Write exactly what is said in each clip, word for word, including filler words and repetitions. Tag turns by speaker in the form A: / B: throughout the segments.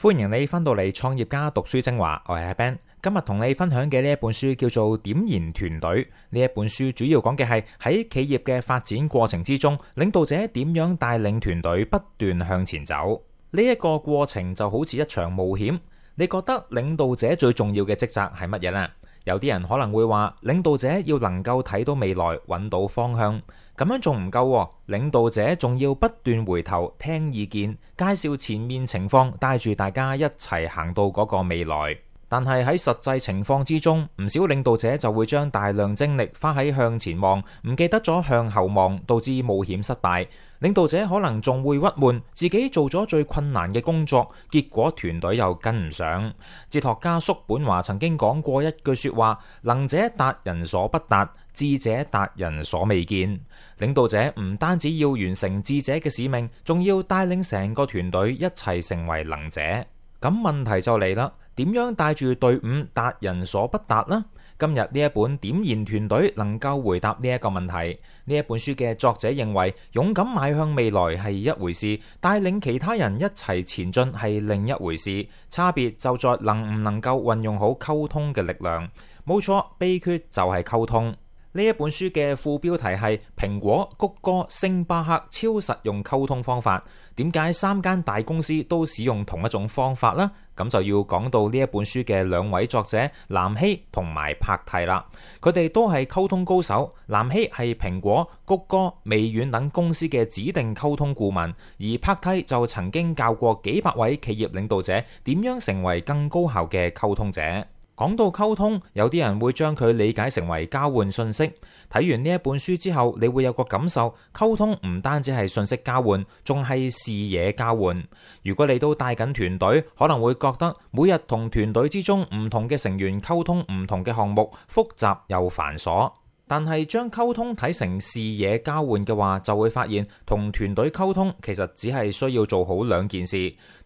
A: 歡迎你返到嚟創業家讀書精華，我係阿 Ben。今日同你分享嘅呢一本書叫做點燃團隊。呢一本書主要講嘅係喺企業嘅發展過程之中，領導者點樣帶領團隊不斷向前走。呢一個過程就好似一場冒險。你覺得領導者最重要嘅職責係乜嘢呢？有啲人可能會話，領導者要能夠睇到未來，揾到方向。咁樣仲唔夠喎，領導者仲要不斷回頭聽意見，介紹前面情況，帶住大家一齊行到嗰個未來。但係喺實際情況之中，唔少領導者就會將大量精力花喺向前望，唔記得咗向後望，導致冒險失敗。領導者可能仲會鬱悶，自己做咗最困難嘅工作，結果團隊又跟唔上。哲學家叔本華曾經講過一句說話：能者達人所不達，智者達人所未見。領導者唔單止要完成智者嘅使命，仲要帶領成個團隊一齊成為能者。咁問題就嚟啦，點樣帶住隊伍達人所不達呢？今日呢一本點燃團隊能夠回答呢一個問題。呢一本書嘅作者認為，勇敢邁向未來係一回事，帶領其他人一齊前進係另一回事。差別就在能唔能夠運用好溝通嘅力量。冇錯，秘訣就係溝通。呢一本書嘅副標題係蘋果、谷歌、星巴克超實用溝通方法。點解三間大公司都使用同一種方法呢？咁就要講到呢一本書嘅兩位作者藍希同埋柏蒂啦。佢哋都係溝通高手。藍希係蘋果、谷歌、微軟等公司嘅指定溝通顧問，而柏蒂就曾經教過幾百位企業領導者點樣成為更高效嘅溝通者。講到溝通，有啲人會將佢理解成為交換信息。睇完呢一本書之後，你會有個感受，溝通唔單止係信息交換，仲係視野交換。如果你都帶緊團隊，可能會覺得每日同團隊之中唔同嘅成員溝通唔同嘅項目，複雜又繁瑣。但係將溝通睇成視野交換嘅話，就會發現同團隊溝通其實只係需要做好兩件事。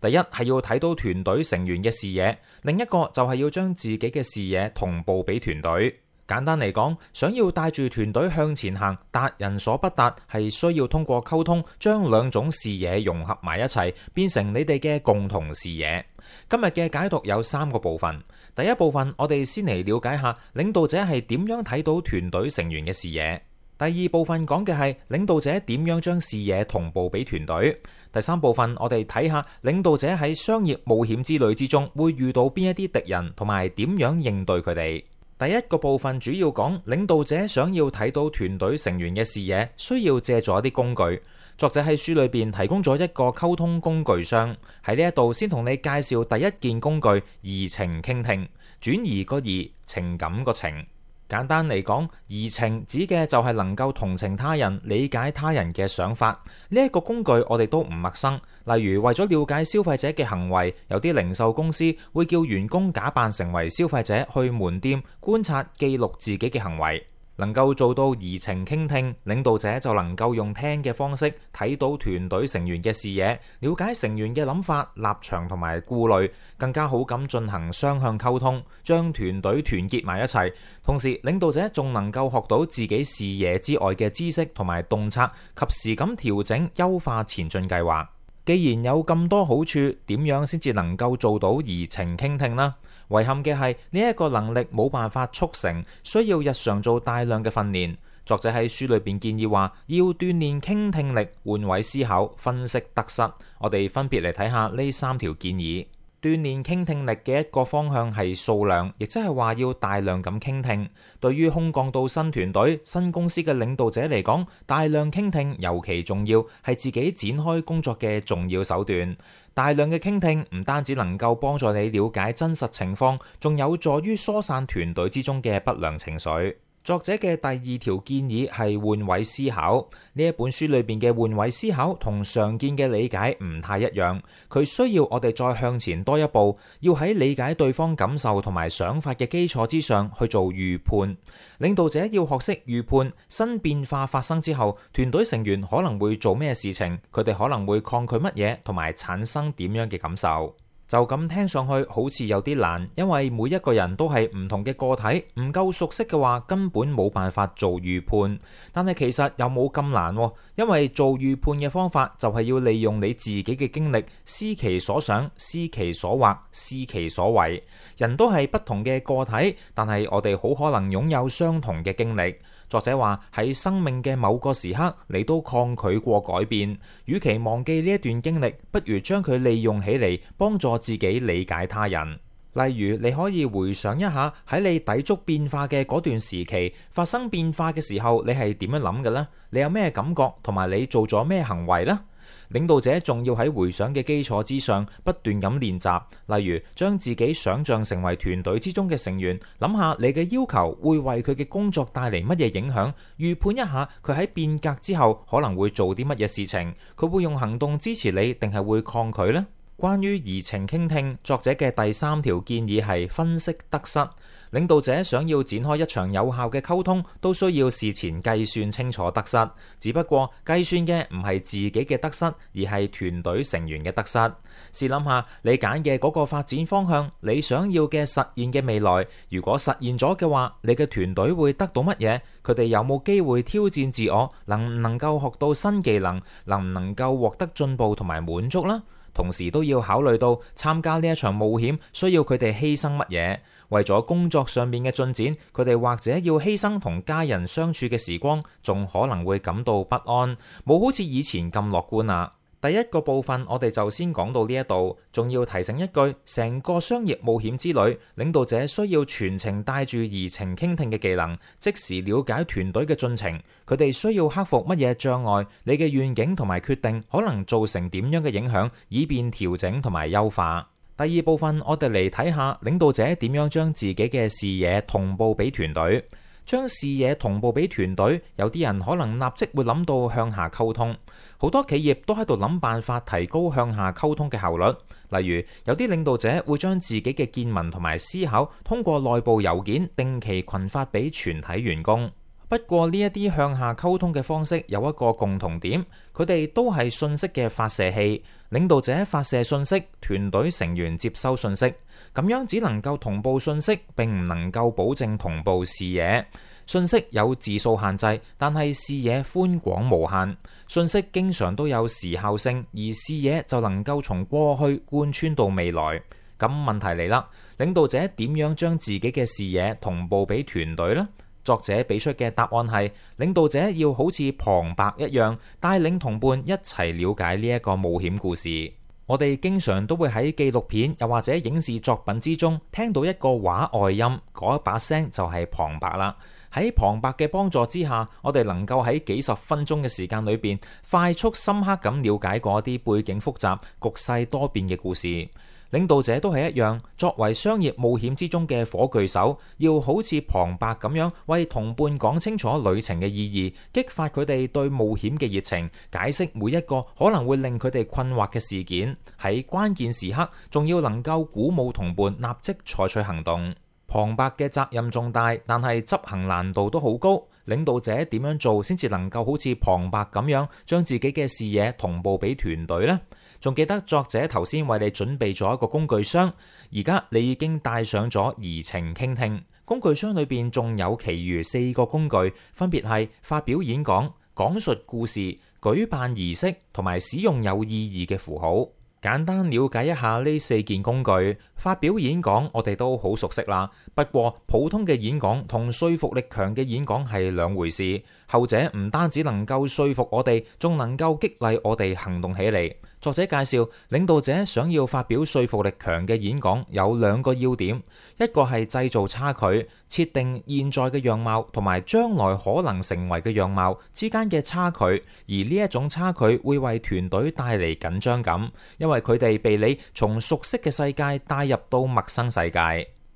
A: 第一係要睇到團隊成員嘅視野，另一個就係要將自己嘅視野同步俾團隊。簡單嚟講，想要帶住團隊向前行，達人所不達，係需要通過溝通將兩種視野融合埋一齊，變成你哋嘅共同視野。今日嘅解讀有三個部分。第一部分，我哋先嚟了解下領導者係點樣睇到團隊成員嘅視野。第二部分講嘅係領導者點樣將視野同步俾團隊。第三部分，我哋睇下領導者喺商業冒險之旅之中會遇到邊一啲敵人，同埋點樣應對佢哋。第一個部分主要講領導者想要睇到團隊成員嘅視野，需要借助一啲工具。作者喺書裏邊提供咗一個溝通工具箱，喺呢一度先同你介紹第一件工具：移情傾聽。轉移個移，情感個情。簡單嚟講，移情指嘅就係能夠同情他人、理解他人嘅想法。呢一個工具我哋都唔陌生。例如為咗了解消費者嘅行為，有啲零售公司會叫員工假扮成為消費者去門店觀察、記錄自己嘅行為。能夠做到移情傾聽，領導者就能夠用聽嘅方式睇到團隊成員嘅視野，了解成員嘅諗法、立場同埋顧慮，更加好咁進行雙向溝通，將團隊團結埋一齊。同時，領導者仲能夠學到自己視野之外嘅知識同埋洞察，及時咁調整優化前進計劃。既然有咁多好處，點樣先至能夠做到移情傾聽呢？遺憾嘅係呢一個能力冇辦法速成，需要日常做大量嘅訓練。作者喺書裏邊建議話，要鍛煉傾聽力、換位思考、分析得失。我哋分別嚟睇下呢三條建議。鍛煉傾聽力嘅一個方向係數量，亦即係話要大量咁傾聽。對於空降到新團隊、新公司嘅領導者嚟講，大量傾聽尤其重要，係自己展開工作嘅重要手段。大量嘅傾聽唔單止能夠幫助你了解真實情況，仲有助於疏散團隊之中嘅不良情緒。作者嘅第二條建議係換位思考。呢一本書裏邊嘅換位思考同常見嘅理解唔太一樣，佢需要我哋再向前多一步，要喺理解對方感受同埋想法嘅基礎之上去做預判。領導者要學識預判新變化發生之後，團隊成員可能會做咩事情，佢哋可能會抗拒乜嘢，同埋產生點樣嘅感受。就咁聽上去好似有啲難，因為每一個人都係唔同嘅個體，唔夠熟悉嘅話根本冇辦法做預判。但係其實又冇咁難，因為做預判嘅方法就係要利用你自己嘅經歷，思其所想，思其所惑，思其所為。人都係不同嘅個體，但係我哋好可能擁有相同嘅經歷。作者話喺生命嘅某個時刻，你都抗拒過改變，與其忘記呢一段經歷，不如將佢利用起嚟，幫助自己理解他人。例如，你可以回想一下喺你抵觸變化嘅嗰段時期，發生變化嘅時候，你係點樣諗嘅呢？你有咩感覺，同埋你做咗咩行為呢？領導者仲要喺回想嘅基礎之上不斷咁練習，例如將自己想象成為團隊之中嘅成員，諗下你嘅要求會為佢嘅工作帶嚟乜嘢影響，預判一下佢喺變革之後可能會做啲乜嘢事情，佢會用行動支持你定係會抗拒呢？關於移情傾聽，作者嘅第三條建議係分析得失。領導者想要展開一場有效嘅溝通，都需要事前計算清楚得失。只不過計算嘅唔係自己嘅得失，而係團隊成員嘅得失。試諗下，你揀嘅嗰個發展方向，你想要嘅實現嘅未來，如果實現咗嘅話，你嘅團隊會得到乜嘢？佢哋有冇機會挑戰自我？能唔能夠學到新技能？能唔能夠獲得進步同埋滿足呢？同時都要考慮到參加呢一場冒險需要佢哋犧牲乜嘢。為咗工作上面嘅進展，佢哋或者要犧牲同家人相處嘅時光，仲可能會感到不安，冇好似以前咁樂觀啊。第一個部分我哋就先講到呢一度，仲要提醒一句，成個商業冒險之旅，領導者需要全程帶住移情傾聽嘅技能，即時了解團隊嘅進程，佢哋需要克服乜嘢障礙，你嘅願景同埋決定可能造成點樣嘅影響，以便調整同埋優化。第二部分我哋嚟睇下領導者點樣將自己嘅視野同步俾團隊。將視野同步俾團隊，有啲人可能立即會諗到向下溝通。好多企業都喺度諗辦法提高向下溝通嘅效率。例如，有啲領導者會將自己嘅見聞同埋思考通過內部郵件定期群發俾全體員工。不過呢一啲向下溝通嘅方式有一個共同點，佢哋都係信息嘅發射器。領導者發射信息，團隊成員接收信息，咁樣只能夠同步信息，並唔能夠保證同步視野。信息有字數限制，但係視野寬廣無限。信息經常都有時效性，而視野就能夠從過去貫穿到未來。咁問題嚟啦，領導者點樣將自己嘅視野同步俾團隊呢？作者俾出嘅答案係，領導者要好似旁白一樣，帶領同伴一齊了解呢一個冒險故事。我哋經常都會喺紀錄片又或者影視作品之中聽到一個話外音，嗰一把聲就係旁白啦。喺旁白嘅幫助之下，我哋能夠喺幾十分鐘嘅時間裏邊，快速深刻咁了解嗰一啲背景複雜、局勢多變嘅故事。領導者都係一樣，作為商業冒險之中嘅火炬手，要好似旁白咁樣為同伴講清楚旅程嘅意義，激發佢哋對冒險嘅熱情，解釋每一個可能會令佢哋困惑嘅事件。喺關鍵時刻，仲要能夠鼓舞同伴立即採取行動。旁白嘅責任重大，但係執行難度都好高。領導者點樣做先至能夠好似旁白咁樣將自己嘅視野同步俾團隊呢？仲記得作者頭先為你準備咗一個工具箱，而家你已經帶上咗移情傾聽。工具箱裏邊仲有其餘四個工具，分別係發表演講、講述故事、舉辦儀式同埋使用有意義嘅符號。簡單了解一下呢四件工具。發表演講我哋都好熟悉啦，不過普通嘅演講同說服力強嘅演講係兩回事。後者唔單止能夠說服我哋，仲能夠激勵我哋行動起嚟。作者介紹，領導者想要發表說服力強嘅演講有兩個要點，一個係製造差距，設定現在嘅樣貌同埋將來可能成為嘅樣貌之間嘅差距，而呢一種差距會為團隊帶嚟緊張感，因為佢哋被你從熟悉嘅世界帶入到陌生世界。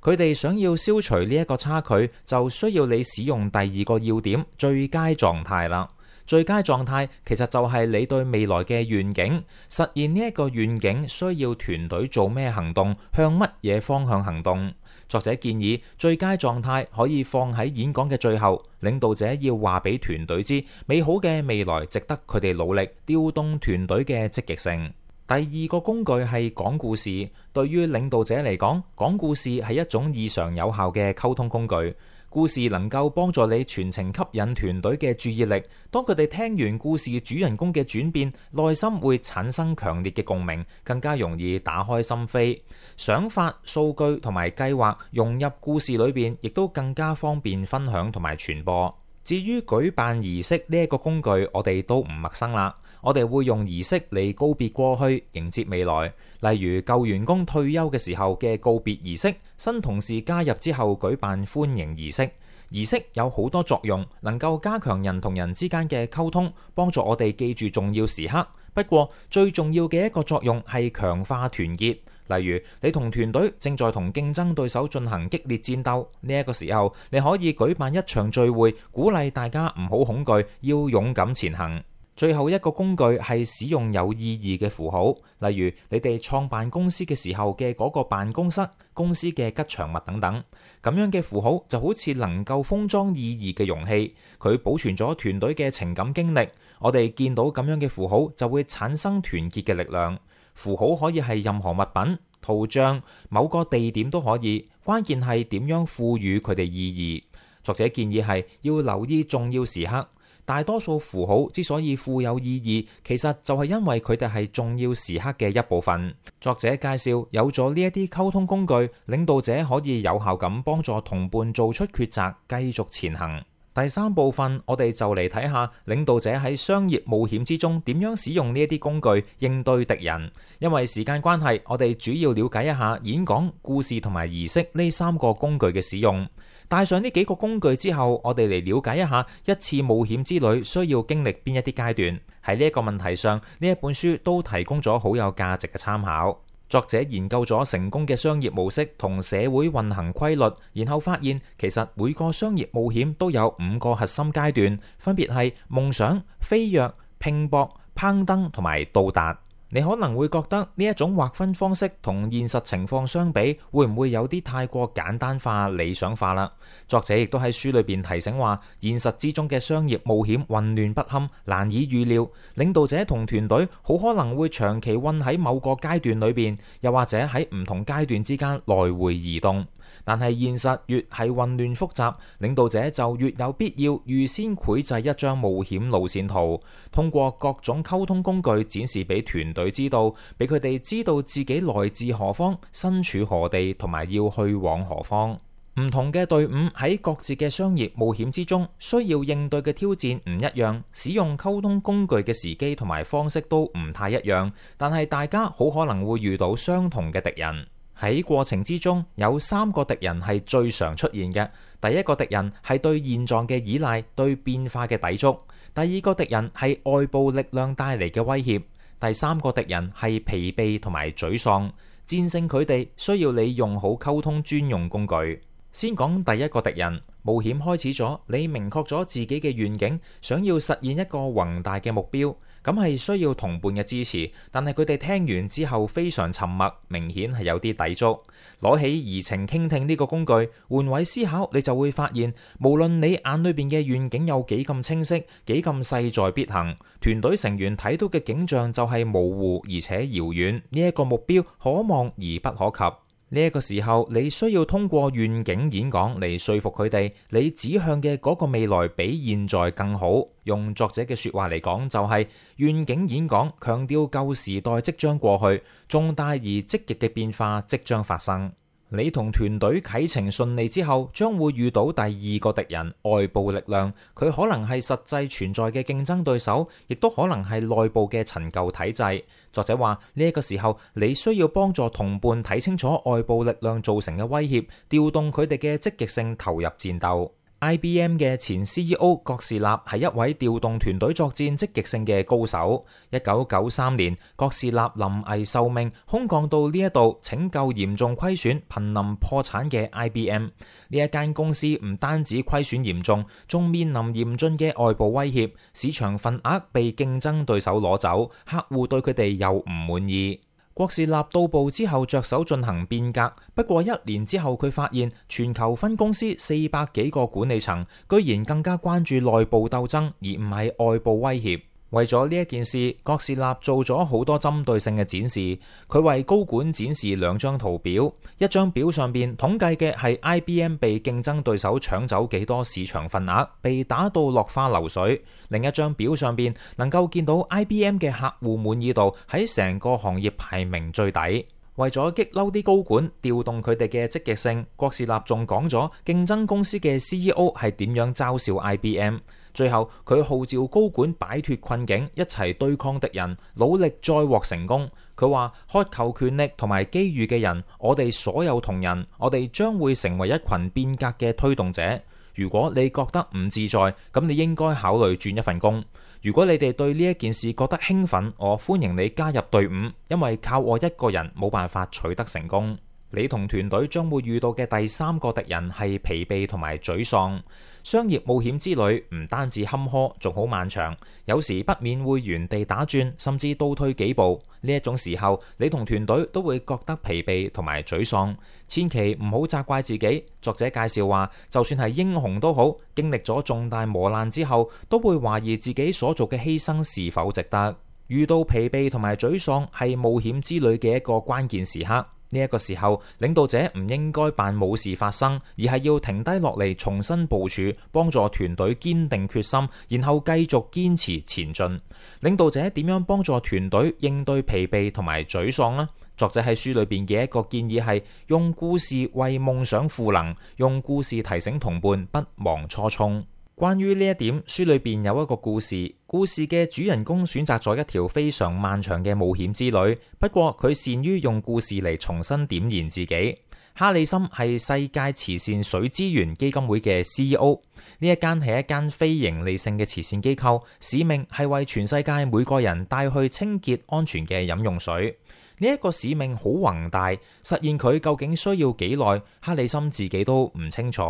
A: 佢哋想要消除呢一個差距，就需要你使用第二個要點，最佳狀態啦。最佳狀態其實就係你對未來嘅願景，實現呢一個願景需要團隊做咩行動，向乜嘢方向行動。作者建議最佳狀態可以放喺演講嘅最後，領導者要話俾團隊知，美好嘅未來值得佢哋努力，調動團隊嘅積極性。第二個工具係講故事。對於領導者嚟講，講故事係一種異常有效嘅溝通工具。故事能夠幫助你全程吸引團隊嘅注意力。當佢哋聽完故事主人公嘅轉變，內心會產生強烈嘅共鳴，更加容易打開心扉。想法、數據同埋計劃融入故事裏邊，亦都更加方便分享同埋傳播。至於舉辦儀式呢一個工具，我哋都唔陌生啦。我哋會用儀式嚟告別過去，迎接未來。例如舊員工退休嘅時候嘅告別儀式，新同事加入之後舉辦歡迎儀式。儀式有好多作用，能夠加強人同人之間嘅溝通，幫助我哋記住重要時刻。不過最重要嘅一個作用係強化團結。例如你同團隊正在同競爭對手進行激烈戰鬥，呢一個時候你可以舉辦一場聚會，鼓勵大家唔好恐懼，要勇敢前行。最後一個工具係使用有意義嘅符號，例如你哋創辦公司嘅時候嘅嗰個辦公室、公司嘅吉祥物等等。咁樣嘅符號就好似能夠封裝意義嘅容器，佢保存咗團隊嘅情感經歷。我哋見到咁樣嘅符號就會產生團結嘅力量。符號可以係任何物品、圖像、某個地點都可以，關鍵係點樣賦予佢哋意義。作者建議係要留意重要時刻。大多數符號之所以富有意義，其實就係因為佢哋係重要時刻嘅一部分。作者介紹有咗呢一啲溝通工具，領導者可以有效咁幫助同伴做出抉擇，繼續前行。第三部分，我哋就嚟睇下領導者喺商業冒險之中點樣使用呢一啲工具應對敵人。因為時間關係，我哋主要了解一下演講、故事同埋儀式呢三個工具嘅使用。帶上呢幾個工具之後，我哋嚟了解一下一次冒險之旅需要經歷邊一啲階段。喺呢一個問題上，呢一本書都提供咗好有價值嘅參考。作者研究咗成功嘅商業模式同社會運行規律，然後發現其實每個商業冒險都有五個核心階段，分別係夢想、飛躍、拼搏、攀登同埋到達。你可能會覺得呢一種劃分方式同現實情況相比，會唔會有啲太過簡單化、理想化啦？作者亦都喺書裏邊提醒話，現實之中嘅商業冒險混亂不堪，難以預料。領導者同團隊好可能會長期困喺某個階段裏邊，又或者喺唔同階段之間來回移動。但係現實越係混亂複雜，領導者就越有必要預先繪製一張冒險路線圖，通過各種溝通工具展示俾團隊知道，俾佢哋知道自己來自何方、身處何地同埋要去往何方。唔同嘅隊伍喺各自嘅商業冒險之中，需要應對嘅挑戰唔一樣，使用溝通工具嘅時機同埋方式都唔太一樣，但係大家好可能會遇到相同嘅敵人。喺過程之中，有三個敵人係最常出現嘅。第一個敵人係對現狀嘅依賴，對變化嘅抵觸；第二個敵人係外部力量帶嚟嘅威脅；第三個敵人係疲憊同埋沮喪。戰勝佢哋需要你用好溝通專用工具。先講第一個敵人。冒險開始咗，你明確咗自己嘅願景，想要實現一個宏大嘅目標，咁係需要同伴嘅支持。但係佢哋聽完之後非常沉默，明顯係有啲抵觸。攞起移情傾聽呢個工具，換位思考，你就會發現，無論你眼裏邊嘅願景有幾咁清晰，幾咁勢在必行，團隊成員睇到嘅景象就係模糊而且遙遠。呢一個目標可望而不可及。呢一個時候，你需要通過願景演講嚟說服佢哋，你指向嘅嗰個未來比現在更好。用作者嘅說話嚟講，就係願景演講強調舊時代即將過去，重大而積極嘅變化即將發生。你同團隊啟程順利之後，將會遇到第二個敵人，外部力量。佢可能係實際存在嘅競爭對手，亦都可能係內部嘅陳舊體制。作者話呢一個時候，你需要幫助同伴睇清楚外部力量造成嘅威脅，調動佢哋嘅積極性投入戰鬥。I B M 嘅前 C E O 郭士納係一位調動團隊作戰積極性嘅高手。一九九三年，郭士納臨危受命，空降到呢一度拯救嚴重虧損、瀕臨破產嘅 I B M。呢一間公司唔單止虧損嚴重，仲面臨嚴峻嘅外部威脅，市場份額被競爭對手攞走，客戶對佢哋又唔滿意。郭士納到埗之後着手進行變革，不過一年之後佢發現全球分公司四百幾個管理層居然更加關注內部鬥爭，而唔係外部威脅。為咗呢一件事，郭士立做咗好多針對性嘅展示。佢為高管展示兩張圖表，一張表上邊統計嘅係 I B M 被競爭對手搶走幾多市場份額，被打到落花流水；另一張表上邊能夠見到 I B M 嘅客戶滿意度喺成個行業排名最底。為咗激嬲啲高管，調動佢哋嘅積極性，郭士立仲講咗競爭公司嘅 C E O 係點樣嘲笑 I B M。最後佢號召高管擺脫困境，一齊對抗敵人，努力再獲成功。佢話渴求權力同埋機遇嘅人，我哋所有同仁，我哋將會成為一群變革嘅推動者。如果你覺得唔自在，咁你應該考慮轉一份工。如果你哋對呢一件事覺得興奮，我歡迎你加入隊伍，因為靠我一個人冇辦法取得成功。你同團隊將會遇到嘅第三個敵人係疲憊同埋沮喪。商業冒險之旅唔單止坎坷，仲好漫長，有時不免會原地打轉，甚至倒退幾步。呢一種時候，你同團隊都會覺得疲憊同埋沮喪。千祈唔好責怪自己。作者介紹話，就算係英雄都好，經歷咗重大磨難之後，都會懷疑自己所做嘅犧牲是否值得。遇到疲憊同埋沮喪係冒險之旅嘅一個關鍵時刻。呢一個時候，領導者唔應該扮冇事發生，而係要停低落嚟，重新部署，幫助團隊堅定決心，然後繼續堅持前進。領導者點樣幫助團隊應對疲憊同埋沮喪呢？作者喺書裏邊嘅一個建議係用故事為夢想賦能，用故事提醒同伴不忘初衷。關於呢一點，書裏邊有一個故事，故事嘅主人公選擇咗一條非常漫長嘅冒險之旅，不過佢善於用故事嚟重新點燃自己。哈里森係世界慈善水資源基金會嘅 C E O， 呢一間係一間非盈利性嘅慈善機構，使命係為全世界每個人帶去清潔安全嘅飲用水。呢一個使命好宏大，實現佢究竟需要幾耐，哈里森自己都唔清楚。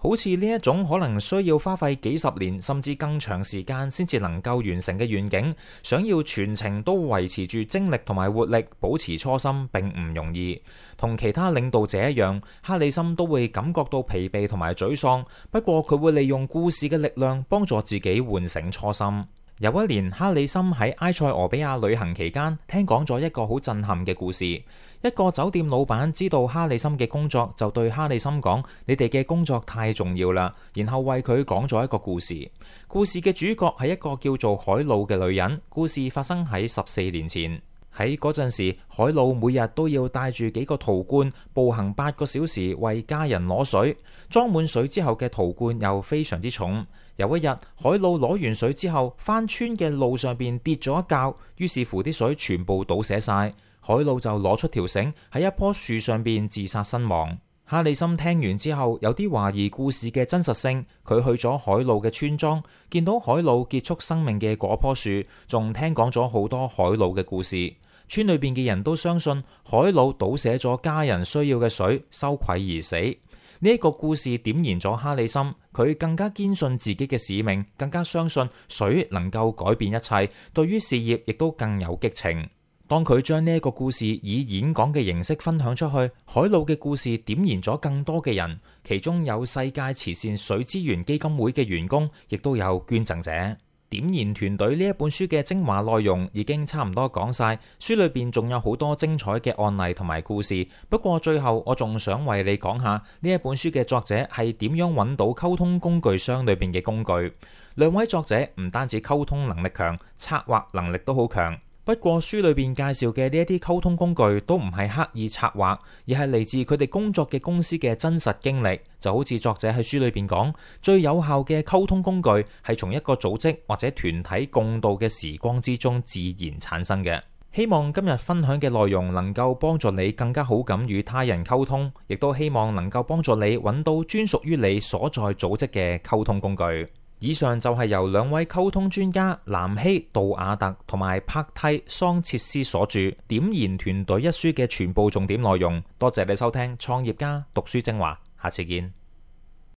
A: 好似呢一種可能需要花費幾十年甚至更長時間先至能夠完成嘅願景，想要全程都維持住精力同埋活力，保持初心並唔容易。同其他領導者一樣，哈里森都會感覺到疲憊同埋沮喪，不過佢會利用故事嘅力量幫助自己喚醒初心。有一年，哈里森喺埃塞俄比亞旅行期間，聽講咗一個好震撼嘅故事。一個酒店老闆知道哈里森嘅工作，就對哈里森講：你哋嘅工作太重要啦。然後為佢講咗一個故事。故事嘅主角係一個叫做海魯嘅女人。故事發生喺十四年前。喺嗰陣時，海魯每日都要帶住幾個陶罐，步行八個小時為家人攞水。裝滿水之後嘅陶罐又非常之重。有一日，海魯攞完水之後，翻村嘅路上邊跌咗一跤，於是乎啲水全部倒瀉晒。海魯就攞出條繩喺一棵樹上邊自殺身亡。哈里森聽完之後有啲懷疑故事嘅真實性，佢去咗海魯嘅村莊，見到海魯結束生命嘅嗰棵樹，仲聽講咗好多海魯嘅故事。村裏邊嘅人都相信海魯倒瀉咗家人需要嘅水，羞愧而死。呢一個故事點燃咗哈里森，佢更加堅信自己嘅使命，更加相信水能夠改變一切，對於事業亦都更有激情。當佢將呢一個故事以演講嘅形式分享出去，海魯嘅故事點燃咗更多嘅人，其中有世界慈善水資源基金會嘅員工，亦都有捐贈者。點燃團隊呢一本書嘅精華內容已經差唔多講晒，書裏邊仲有好多精彩嘅案例同埋故事。不過最後我仲想為你講下呢一本書嘅作者係點樣揾到溝通工具箱裏邊嘅工具。兩位作者唔單止溝通能力強，策劃能力都好強。不過書裏邊介紹嘅呢一啲溝通工具都唔係刻意策劃，而係嚟自佢哋工作嘅公司嘅真實經歷。就好似作者喺書裏邊講，最有效嘅溝通工具係從一個組織或者團體共度嘅時光之中自然產生嘅。希望今日分享嘅內容能夠幫助你更加好咁與他人溝通，亦都希望能夠幫助你揾到專屬於你所在組織嘅溝通工具。以上就係由兩位溝通專家南希杜亞特同埋帕蒂桑切斯所著《點燃團隊》一書嘅全部重點內容。多謝你收聽創業家讀書精華，下次見。